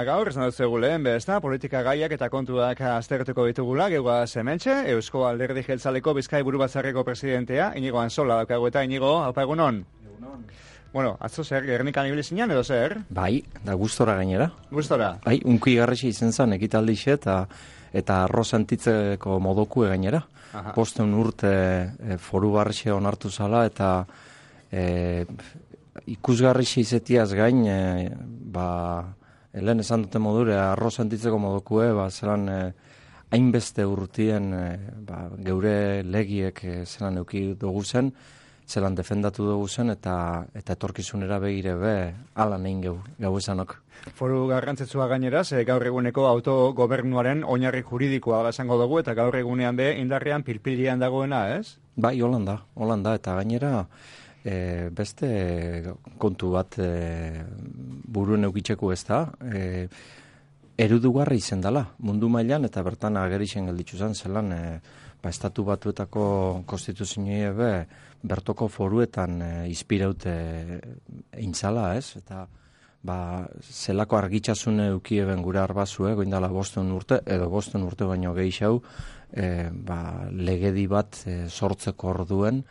gaur, esan dut zegu lehen, bezta, politika gaiak eta kontuak aztertuko ditugula, geugaz hementxe, Eusko Alderdi Jeltzaleko Bizkai Buru Batzarreko presidentea, Inigo Ansola daukagu eta Inigo, haupa egunon. Egunon. Bueno, atzo zer, Gernikan ibili zinean edo zer? Bai, da gustora gainera. Gustora? Bai, unki garrasi izen zen ekitaldixe eta arroz antitzeko modoku gainera. Posten urte foru barrixe onartu zala eta ikusgarrixe izetiaz gain, helen esan dute modure, arroz antitzeko modokue, zelan hainbeste urtien geure legiek zelan euki dugu zen, zelan defendatu dugu zen, eta etorkizunera begire ala nein gau esanok. Foru garrantzitsua gainera, ze gaur eguneko autogobernuaren oinarri juridikoa esango dugu, eta gaur egunean indarrean pilpilian dagoena, ez? Bai, Holanda, eta gainera beste kontu bat buruen eukitzeko ez da, erudugarri izen dela, mundu mailan eta bertan agerixen gelditzu zen, zelan estatu batuetako konstituzioa bertoko foruetan inspiraute intzala, ez? Eta zelako argitxasune eukieben gure arbazue, goindala 5 urte, edo 5 urte baino gehiago, legedi bat sortzeko orduen,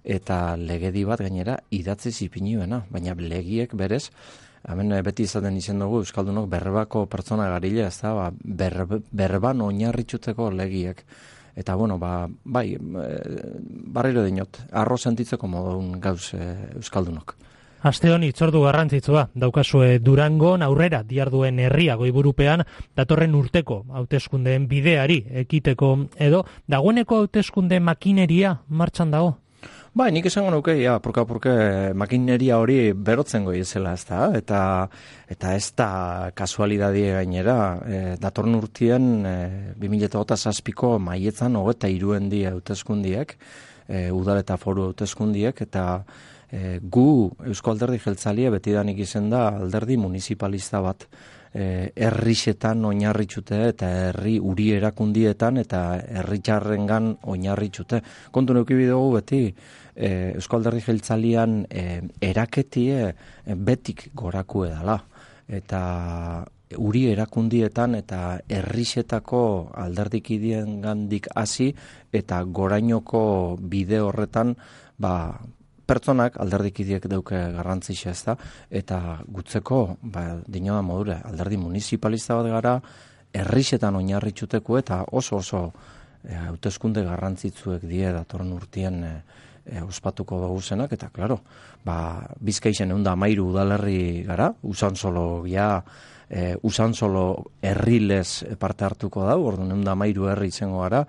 eta legedi bat gainera idatzi zipiniuena, baina legiek berez, hemen beti izaten izen dugu Euskaldunok berbako pertsona garile, ez da, berban oinarritxuteko legiek. Eta, bueno, bai, barriro dinot, arroz sentitzeko modun gauz Euskaldunok. Aste honi itzordu garrantzitsua daukazue Durangon aurrera diarduen herria goiburupean datorren urteko hauteskundeen bideari ekiteko edo dagoeneko hauteskunde makineria martxan dago? Bai, nik esango nuke, purka makineria hori berotzen goiezela, ez da, eta ez da kasualidadie gainera, datorren urtien 2007ko maietzan 23 hauteskundiek, udal eta foru hauteskundiek, eta gu Eusko Alderdi Jeltzalia betidanik izen da alderdi municipalista bat, herrixetan oinarritxute eta herri uri erakundietan eta herritxarrengan oinarritxute. Kontu neukibi dugu beti Eusko Alderdi Jeltzalian eraketie betik goraku edala. Eta uri erakundietan eta herrixetako alderdikidien gandik hasi eta gorainoko bide horretan pertsonak alderdikidiek dauke garrantzitsa ez da, eta gutzeko, dinoa modure, alderdi municipalista bat gara, herrixetan oinarritxuteko eta oso hauteskunde garrantzitsuek die datorren urtien ospatuko dugu zenak, eta klaro, Bizkaixen 113 udalerri gara, Usansolo herrilez parte hartuko da, orduan 113 herri izango gara,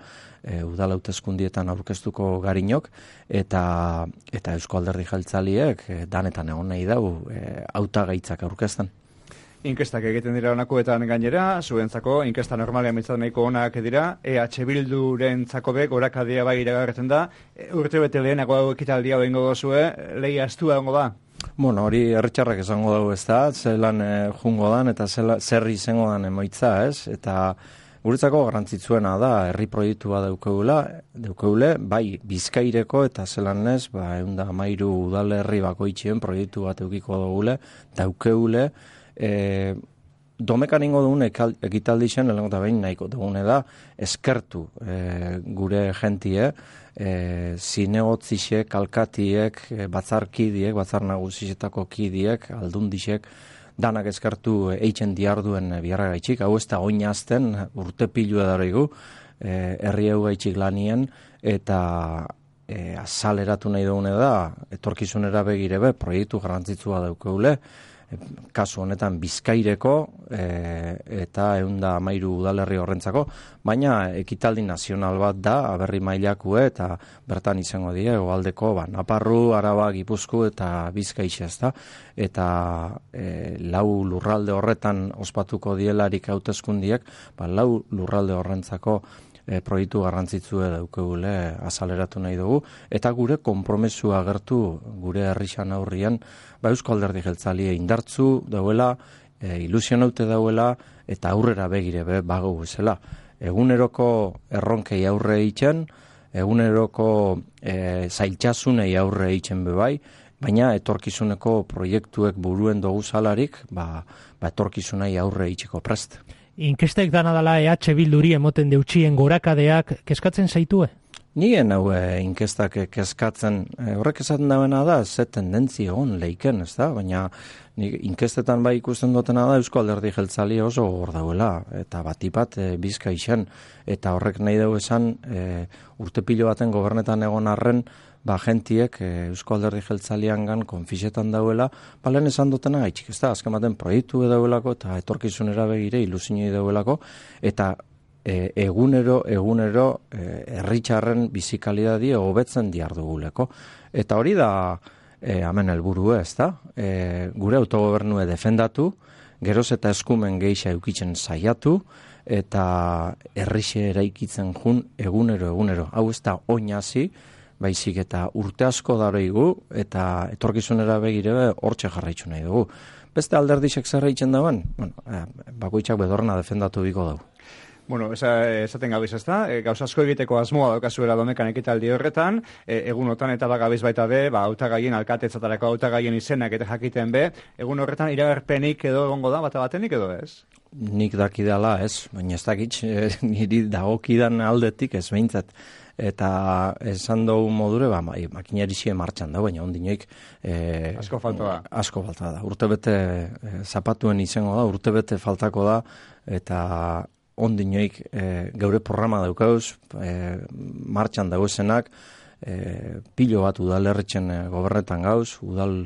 udal hauteskundietan aurkeztuko garinok, eta Eusko Alderdi Jeltzaliek danetan egon nahi dau hautagaitzak aurkezten. Inkestak egiten dira honakoetan gainera, zuentzako inkesta normalean mitzat nahiko onak dira, EH Bildurentzako gorakadia bai iragarretzen da, urte bete lehenago ekitaldia behingo gozue, lehi astua ongo da? Bueno, hori herritxarrak esango dugu ez da, zelan jungo dan eta zer izango dan emoitza, ez? Eta guretzako garrantzitsuena da, herri proiektua daukeule, bai Bizkaireko eta zelan ez, 113 udalerri bakoitzien proiektu bat eukiko daukeule, domekan ingo dugun ekitaldi zen, lehenko eta behin nahiko dugune da, eskertu gure jentie, zinegotziek, alkatiek, batzarkidiek, batzar nagusietako kidiek, aldundixek, danak eskertu eitzen diarduen biharra gaitxik, hau ez da oinazten urte pilua daraigu, herri hau gaitxik lanien, eta azaleratu nahi dugune da, etorkizunera begirebe, proiektu garrantzitsua daukeule, kasu honetan Bizkaireko eta 113 udalerri horrentzako, baina ekitaldi nazional bat da, aberri mailakue eta bertan izango die, hegoaldeko Naparru, Araba, Gipuzkoa eta Bizkaixe ez da, eta 4 lurralde horretan ospatuko dielarik hauteskundiek, 4 lurralde horrentzako proiektu garrantzitsue daukegule azaleratu nahi dugu, eta gure konpromesua agertu gure herrixan aurrian, Eusko Alderdi Jeltzalia indartzu dauela, ilusionaute dauela, eta aurrera begire bago bezala. Eguneroko erronkei aurre eitzen, eguneroko zailtxasunei aurre eitzen bebai, baina etorkizuneko proiektuek buruen dugu zalarik, etorkizunai aurre itxeko prest. Inkestek dana dala EH Bilduri emoten deutxien gorakadeak kezkatzen zaitue? Nien hau inkestak kezkatzen, horrek esaten dauena da, ze tendentzi egon leiken, ez da? Baina inkestetan bai ikusten dutena da Eusko Alderdi Jeltzalia oso hor dauela, eta batipat bizka isen, eta horrek nahi dugu esan urte pilo baten gobernetan egon arren, gentiek Eusko Alderdi Jeltzaliangan konfisetan dauela, lehen esan dutena gaitxik, ez da? Azken baten proiektu dauelako, eta etorkizunera begire ilusinoi dauelako, eta egunero herritxarren bizikalidadi hobetzen diarduguleko. Eta hori da hemen helburu ez da? Gure autogobernue defendatu, geroz eta eskumen gehiago eukitzen saiatu, eta herrixe eraikitzen jun egunero. Hau ez da oinazi, baizik eta urte asko daroigu, eta etorkizunera begire hortxe jarraitzu nahi dugu. Beste alderdixek zerraitzen dauen, bakoitzak bedorna defendatu biko dugu. Bueno, esaten gabiz ez da, gauz asko egiteko asmoa daukazuela domekan ekitaldi horretan, egunotan eta bagabiz baita be, hautagaien alkatetzatarako hautagaien izenak eta jakiten be, egun horretan iragarpenik edo egongo da, bata batenik edo ez? Nik dakidala ez, baina ez dakitz, niri dagokidan aldetik ez behintzat. Eta esan dugu modure, makinerizie martxan da, baina ondinoik asko falta da. Asko falta da. Urtebete zapatuen izango da, urtebete faltako da, eta ondinoik geure programa daukauz, martxan dauzenak, pilo bat udalerritzen gobernetan gauz, udal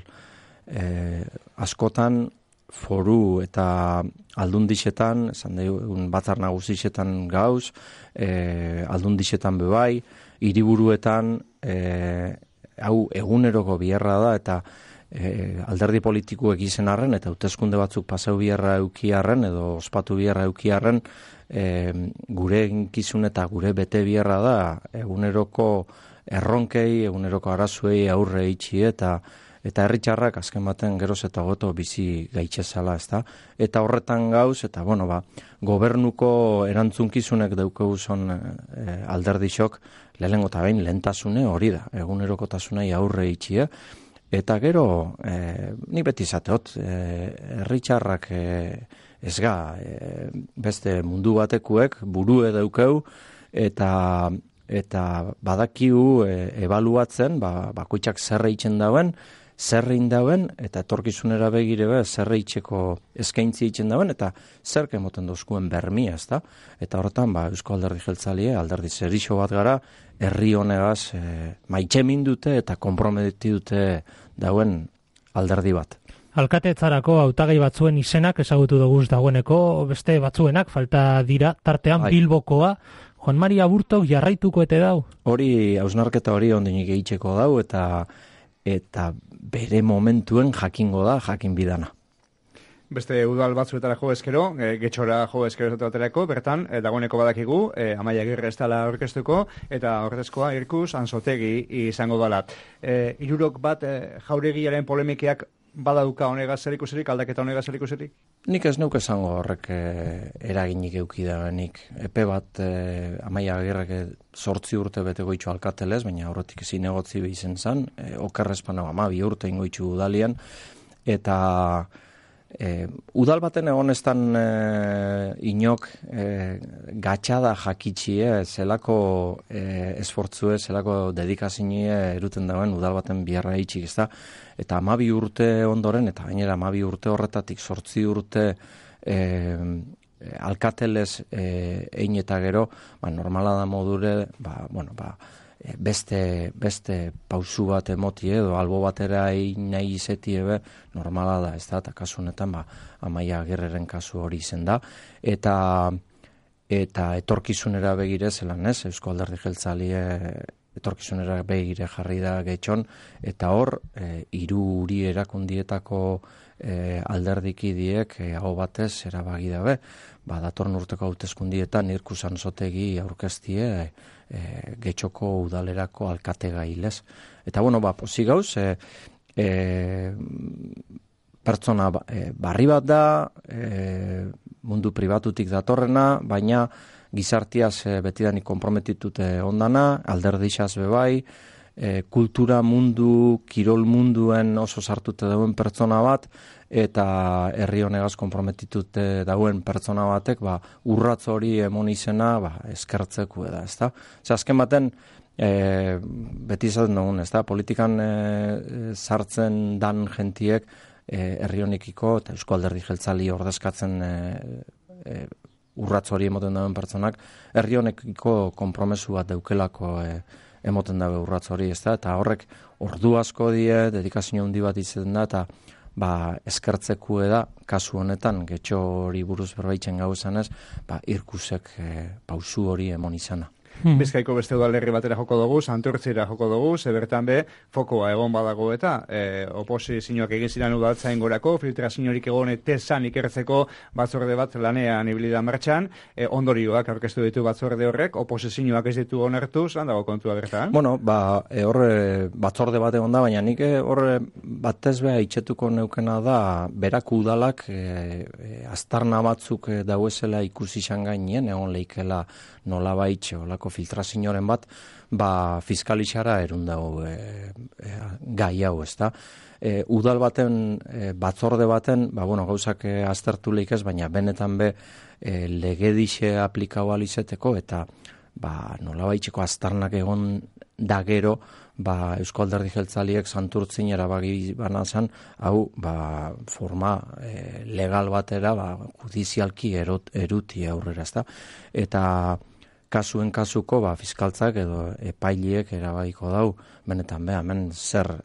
askotan, foru eta aldundixetan, esan dugun batzar nagusixetan gauz, aldundixetan bebai, hiriburuetan, hau eguneroko biherra da, eta alderdi politikuek izen arren, eta hauteskunde batzuk pasau biherra eukiarren, edo ospatu biherra eukiarren, gure eginkizun eta gure bete biherra da, eguneroko erronkei, eguneroko arazuei aurre itxi, eta herritxarrak azken baten geroz eta goto bizi gaitxezala, ez da? Eta horretan gauz, eta gobernuko erantzunkizunek daukegu zon alderdixok, lehenengo eta behin lehentasune hori da, egunerokotasunei aurre itxi, eta gero, ni beti zateot, herritxarrak ez ga, beste mundu batekuek burue daukeu, eta badakiu ebaluatzen, bakoitzak zerre itzen dauen, zerrein dauen, eta etorkizunera begire zerre itxeko eskaintzi itzen dauen, eta zerke moten dozkuen bermia, ez da? Eta horretan, Eusko Alderdi Jeltzalia, alderdi zerixo bat gara, herri honegaz maitxemin dute eta konprometi dute dauen alderdi bat. Alkatetzarako hautagai batzuen izenak ezagutu duguz dagoeneko, beste batzuenak falta dira, tartean Bilbokoa, Juan Mari Aburtok jarraituko ete dau? Hori, hausnarketa hori ondinik egitxeko dau, eta bere momentuen jakingo da, jakin bidana. Beste udal batzuetara jo eskero, getxora jo eskero baterako, bertan, dagoeneko badakigu, Amaia Agirre ez dela orkestuko, eta horretezkoa Irkus Anzotegi izango dela. Hirurok bat jauregiaren polemikeak badauka honegaz zerikusirik, aldaketa honegaz zerikusirik? Nik ez neuk esango horrek eraginik eukidabenik. Epe bat Amaia Agirrek 8 urte beteko itxu alkatelez, baina horretik zinegotzi izen zan, okerrezpan 12 urte ingoitxu udalian, eta udal baten egonestan inok gatxada jakitxie, zelako esfortzue, zelako dedikazinie eruten dauen udal baten biharra itxik, ez da? Eta 12 urte ondoren, eta gainera 12 urte horretatik 8 urte alkatelez ein eta gero, normala da modure, beste pausu bat emoti edo albo batera nahi izeti normala da, ez da, eta kasu honetan Amaia Agirreren kasu hori izen da, eta etorkizunera begire zelan ez, Eusko Alderdi Jeltzalia etorkizunera begire jarri da getxon, eta hor, hiru erakundietako alderdikidiek hau batez erabaki dabe, datorren urteko hauteskundietan Irkus Anzotegi aurkeztie getxoko udalerako alkate gailez. Eta pozik gauz, pertsona barri bat da, mundu pribatutik datorrena, baina gizartiaz betidanik konprometitute ondana, alderdixaz bebai, kultura mundu, kirol munduen oso sartute dauen pertsona bat, eta herri honegaz konprometitute dauen pertsona batek, urratz hori emon izena, eskertzeku da, ezta? Azken baten, beti izaten dugun, ezta? Politikan sartzen dan gentiek, herri honekiko eta Eusko Alderdi Jeltzali ordezkatzen urratz hori emoten dauen pertsonak, herri honekiko konpromesu bat daukelako emoten dabe urratz hori, ezta? Eta horrek ordu asko die, dedikazio handi bat izaten da, eta eskertzeku da, kasu honetan, getxo hori buruz berbaitzen gauzan ez, irkusek pausu hori emon izana. Bizkaiko beste udalerri batera joko dugu, Santurtzira joko dugu, bertan be, fokoa egon badago eta oposizioak egin ziren udaltzain gorako, filtraziorik egon tesan ikertzeko batzorde bat lanean ibilida martxan, ondorioak aurkeztu ditu batzorde horrek, oposizioak ez ditu onartu, zelan dago kontua bertan? Bueno, hor batzorde bat egon da, baina nik hor batez beha itxetuko neukena da, berak udalak aztarna batzuk dauezela ikusi izan gainien, egon leikela nola baitxe, olako filtrazioaren bat, fiskalixara erun dago gai hau, ezta? Udal baten, batzorde baten, gauzak aztertu lehik ez, baina benetan be legedixe aplikau alizeteko, eta nola baitxeko aztarnak egon da gero, Eusko Alderdi Jeltzaliek Santurtzin erabaki banazan, hau forma legal batera, judizialki eruti aurrera, ezta? Eta kasuen kasuko fiskaltzak edo epailiek erabakiko dau, benetan hemen zer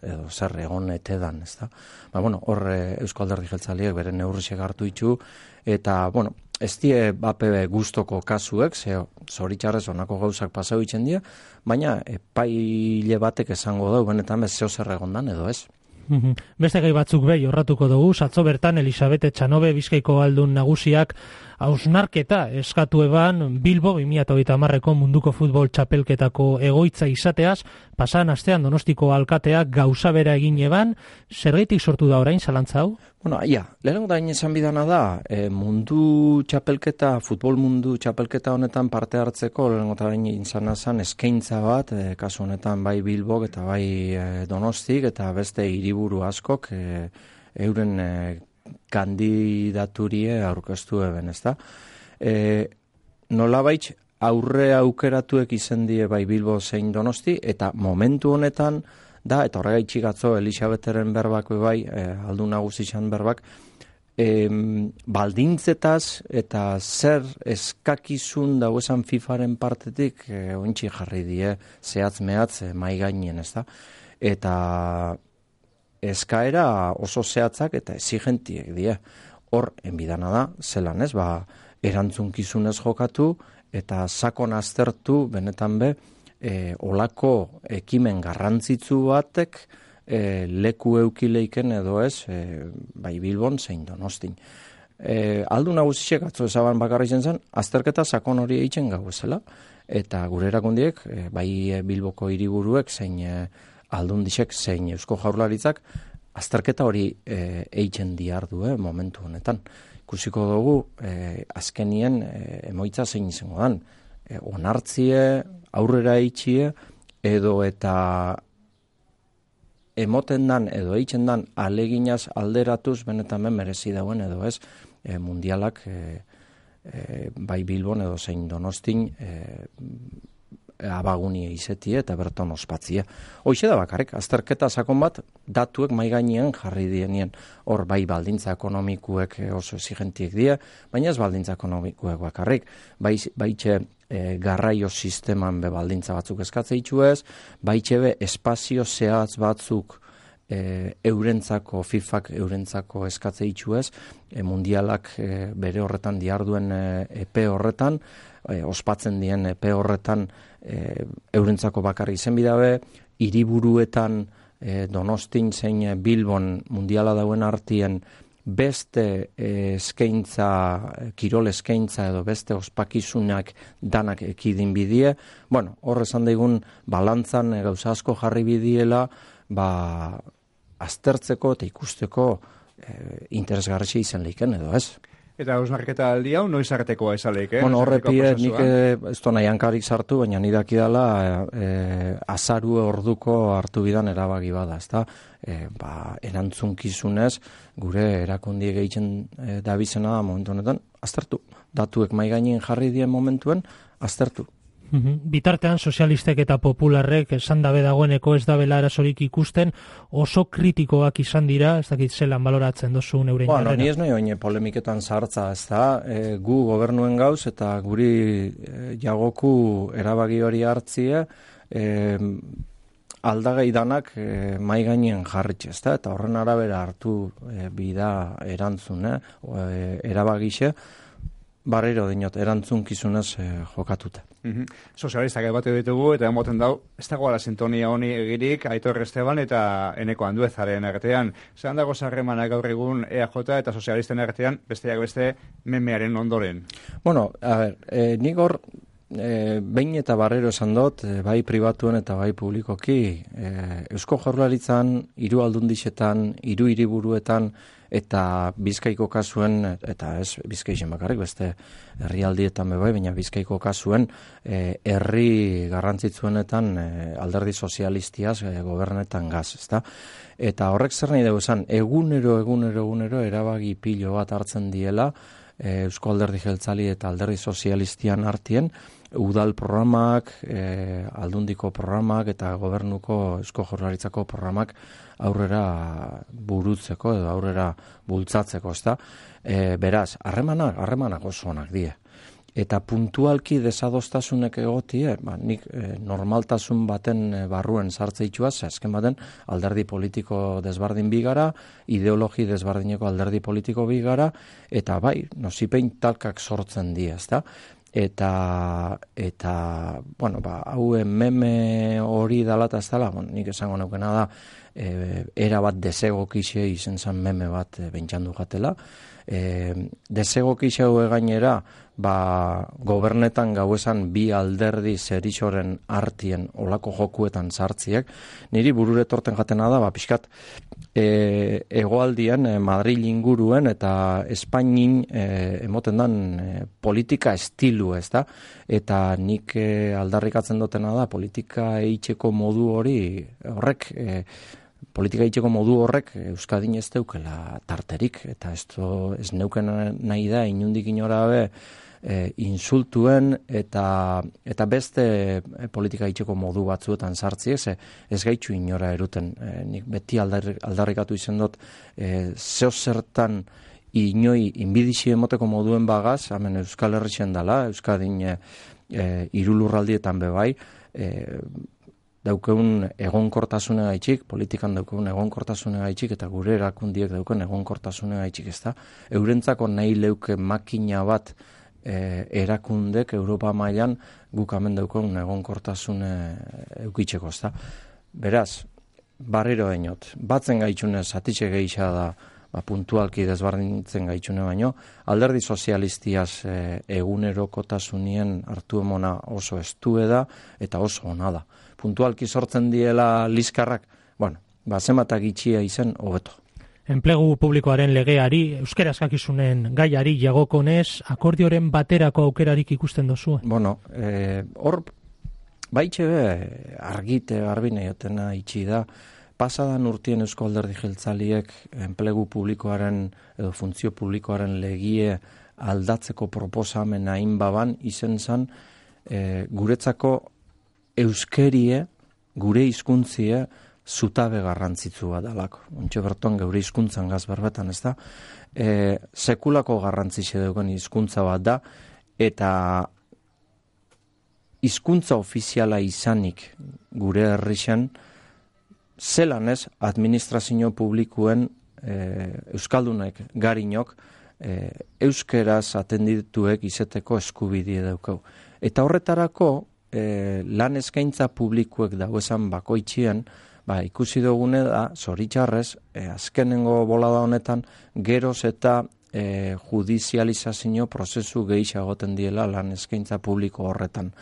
egon etedan, ezta? Hor Eusko Alderdi Jeltzaliek bere neurriak hartu ditu, eta, ez die bape gustoko kasuek, zoritxarrez honako gauzak pasau itzen dira, baina epaile batek esango dau, benetan zeo zer egondan edo ez. Beste gai batzuk behi horratuko dugu, atzo bertan Elisabete Txanobe Bizkaiko aldun nagusiak hausnarketa eskatu eban Bilbo 2030ko munduko futbol txapelketako egoitza izateaz, pasan astean Donostiko alkateak gauza bera egin eban, zergaitik sortu da orain zalantza hau? Lehenengo da esan bidana da, mundu txapelketa, futbol mundu txapelketa honetan parte hartzeko, lehenengo da izan azan eskaintza bat, kasu honetan bai Bilbok eta bai Donostik, eta beste hiriburu askok euren kandidaturie aurkeztu eben, ezta? Nolabait aurre aukeratuek izen die bai Bilbo zein Donosti, eta momentu honetan da, eta horregaitxik atzo Elisabeteren berbak bai, aldun nagusitxan berbak, baldintzetaz eta zer eskakizun dauesan FIFaren partetik ointxi jarri die zehatz mehatz mai gainen, ezta? Eta eskaera oso zehatzak eta exigentiek die. Hor, enbidana da, zelan ez, erantzunkizunez jokatu eta sakon aztertu benetan be, olako ekimen garrantzitsu batek leku eukileiken edo ez, bai Bilbon zein Donostin. Aldu nagusitxek atzo ezaban bakarri zen, azterketa sakon hori eitzen gau ezela, eta gure erakundiek, bai Bilboko hiriburuek zein aldundixek zein Eusko Jaurlaritzak azterketa hori eitzen diardu momentu honetan. Ikusiko dugu azkenien emoitza zein izango dan. Onartzie, aurrera eitxie, edo eta emoten dan edo eitzen dan aleginaz alderatuz benetan merezi dauen edo ez mundialak bai Bilbon edo zein Donostin abagunie izetie eta berton ospatzie. Hoxe da bakarrik, azterketa sakon bat datuek mai gainean jarri dienien. Hor bai baldintza ekonomikuek oso exigentiek die, baina ez baldintza ekonomikuek bakarrik. Baitxe garraio sisteman be baldintza batzuk eskatze itxuez, baitxe be espazio zehatz batzuk eurentzako, FIFak eurentzako eskatze itxuez, mundialak bere horretan diarduen epe horretan, ospatzen dien epe horretan eurentzako bakarri izen bidabe, hiriburuetan Donostin zein Bilbon mundiala dauen artien beste eskaintza, kirol eskaintza edo beste ospakizunak danak ekidin bidie. Hor esan daigun balantzan gauza asko jarri bidiela, aztertzeko eta ikusteko interesgarritxe izan leiken edo ez. Eta hausnarketa aldi hau noiz artekoa esaleik, Bueno, horrepie nik ez nahi hankarik sartu, baina ni dakidala azaru orduko hartu bidan erabaki bada, ezta? Erantzunkizunez gure erakundiek egiten dabizena da momentu honetan, aztertu. Datuek mai gainen jarri dien momentuen, aztertu. Bitartean sozialistek eta popularrek esan dabe dagoeneko ez dabela arazorik ikusten, oso kritikoak izan dira, ez dakit zelan baloratzen dozu neurein jarrera. Ni ez nahi oine polemiketan sartza, ez da, gu gobernuen gauz eta guri jagoku erabaki hori hartzie, aldagai danak mai gainen jarritxe, ez da, eta horren arabera hartu bida erantzun, erabagixe, barriro dinot, erantzunkizunez jokatuta. Sozialistak batu ditugu eta emoten dau, ez dagoela sintonia honi egirik Aitor Esteban eta Eneko Anduezaren artean. Zeran dago zarremanak gaur egun EAJ eta sozialisten artean, besteak beste memearen ondoren? Bueno, a ver, nik hor behin eta barrero esan dut, bai pribatuen eta bai publikoki, Eusko Jaurlaritzan, 3 aldundixetan, 3 hiriburuetan, eta Bizkaiko kasuen, eta ez Bizkaixen bakarrik, beste herrialdietan bai, baina Bizkaiko kasuen herri garrantzitsuenetan alderdi sozialistiaz gobernetan gaz, ezta? Eta horrek zer nahi dugu esan, egunero erabaki pilo bat hartzen diela Eusko Alderdi Jeltzali eta Alderdi Sozialistian artien, udal programak, aldundiko programak eta gobernuko Eusko Jaurlaritzako programak aurrera burutzeko edo aurrera bultzatzeko, ezta? Beraz, harremanak oso onak die. Eta puntualki desadostasunek egotie, nik normaltasun baten barruen sartzeitxuaz, azken baten alderdi politiko desbardin bigara, ideologi desbardineko alderdi politiko bigara, eta bai, nozipein talkak sortzen die, ezta? Eta bueno, hau meme hori dalata ez dela, nik esango naukena da, era bat desegokixe izen zan meme bat bentsandu gatela. Desegokixe hau gainera, gobernetan gauesan bi alderdi zerixoren artien olako jokuetan sartziek, niri burure torten jatena da, pixkat hegoaldian Madril inguruen eta Espainin emoten dan politika estilu, ez da? Eta nik aldarrikatzen dutena da, politika eitzeko modu horrek Euskadin ez deukela tarterik, eta ez neuken nahi da, inundik inorabe, insultuen eta beste politika itxeko modu batzuetan sartzi, ez gaitxu inora eruten. Nik beti aldarrikatu izen dut, zeo zertan inoi inbidixi emoteko moduen bagaz, hemen Euskal Herrixen dela, Euskadin irulurraldietan bebai, daukeun egonkortasune gaitxik, politikan daukeun egonkortasune gaitxik, eta gure erakundiek daukeun egonkortasune gaitxik, ez da? Eurentzako nahi leuke makina bat erakundek Europa mailan guk hemen daukeun egonkortasune eukitzeko, ez da? Beraz, barriro dainot, batzen gaitxune zatitxe gehiago da, puntualki desbardintzen gaitxune baino, alderdi sozialistiaz egunerokotasunien hartu emona oso estue da eta oso ona da. Puntualki sortzen diela liskarrak, zenbatak itxia izen hobeto. Enplegu publikoaren legeari, euskera eskakizunen gaiari jagokonez, akordioren baterako aukerarik ikusten dozu? Hor, baitxe argite garbine jotena itxi da, pasadan urtien Eusko Alderdi Jeltzaliek enplegu publikoaren edo funtzio publikoaren legie aldatzeko proposamena inbaban izen zan guretzako euskerie, gure hizkuntzie zutabe garrantzitsua dalako. Ontxe berton geure hizkuntzan gaz berbetan, ez da? Sekulako garrantzitxe dugun hizkuntza bat da, eta hizkuntza ofiziala izanik gure herrixen, zelan ez administrazio publikoen euskaldunek garinok euskeraz atendituek izeteko eskubidie daukau. Eta horretarako lan eskaintza publikoek dagoesan bakoitzien, ikusi dugune da, zoritxarrez, azkenengo bolada honetan, geroz eta judizializazio prozesu gehiagoten diela lan eskaintza publiko horretan.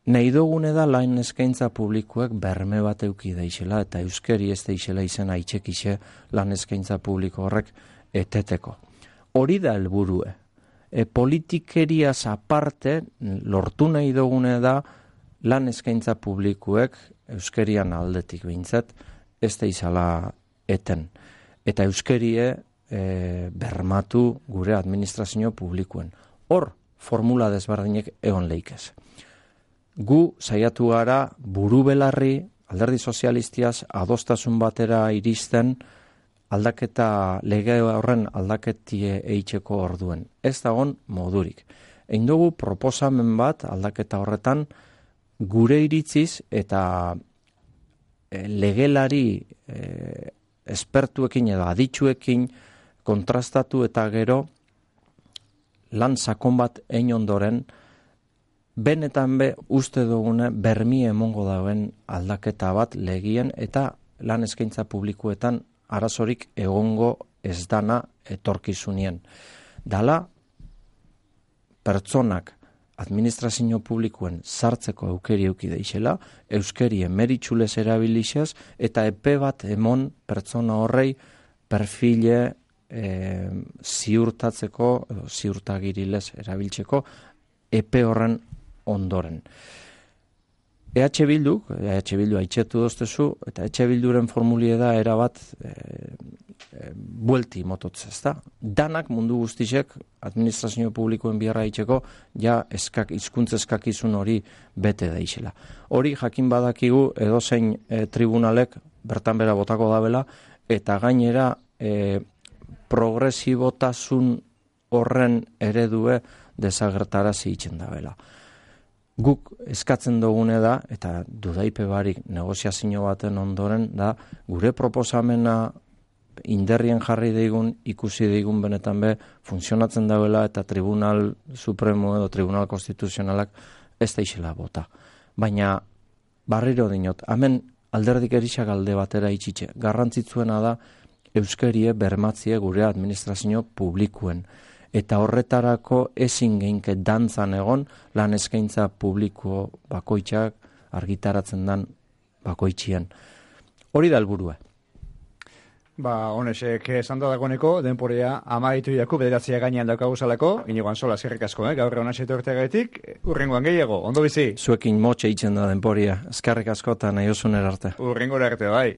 Nahi dugune da lan eskaintza publikoek berme bat euki deixela, eta euskeri ez deixela izena itxekixe lan eskaintza publiko horrek eteteko. Hori da helburue. Politikeriaz aparte, lortu nahi dugune da, lan eskaintza publikuek, euskerian aldetik behintzat, ez da izala eten. Eta euskerie bermatu gure administrazio publikuen. Hor, formula desberdinek egon leikez. Gu saiatu gara buru belarri, alderdi sozialistiaz, adostasun batera iristen, aldaketa, lege horren aldaketie eitzeko orduen. Ez dagon modurik. Egin dugu proposamen bat aldaketa horretan gure iritziz eta legelari espertuekin edo aditsuekin kontrastatu eta gero lan sakon bat egin ondoren benetan uste dugune bermi emongo dauen aldaketa bat legien eta lan eskaintza publikoetan arazorik egongo ez dana etorkizunien. Dala, pertsonak administrazio publikoen sartzeko aukeri euki deixela, euskerien meritxulez erabilixez, eta epe bat emon pertsona horrei perfile ziurtatzeko, ziurtagirilez erabiltzeko, epe horren ondoren. EH Bildu haitxetu doztezu, eta EH Bilduren formulie da erabat buelti mototz, ezta? Danak mundu guztisek administrazio publikoen biharra haitxeko ja hizkuntz eskakizun hori bete daixela. Hori jakin badakigu edozein tribunalek bertan bera botako dabela, eta gainera progresibotasun horren eredue desagertarazi itzen dabela. Guk eskatzen dugune da, eta dudaipe barik negoziazio baten ondoren da, gure proposamena inderrien jarri deigun, ikusi deigun benetan funtzionatzen dauela eta Tribunal Supremo edo Tribunal Konstituzionalak ez da isela bota. Baina, barriro dinot, hemen alderdik erixak alde batera itxitxe. Garrantzitsuena da, euskerie bermatzie gure administrazio publikuen. Eta horretarako ezin geinke dantzan egon lan eskaintza publiko bakoitzak argitaratzen dan bakoitzien. Hori da helburua. Honesek esan da dagoeneko, denporea amaitu jaku bederatzea gainean daukaguzalako, Inigo Antzola eskerrik asko, gaur egon hasietu urteagatik, urrengoan gehiago, ondo bizi? Zuekin motxe itzen da denporia, eskerrik asko eta nahi osun erarte. Urrengora arte, bai.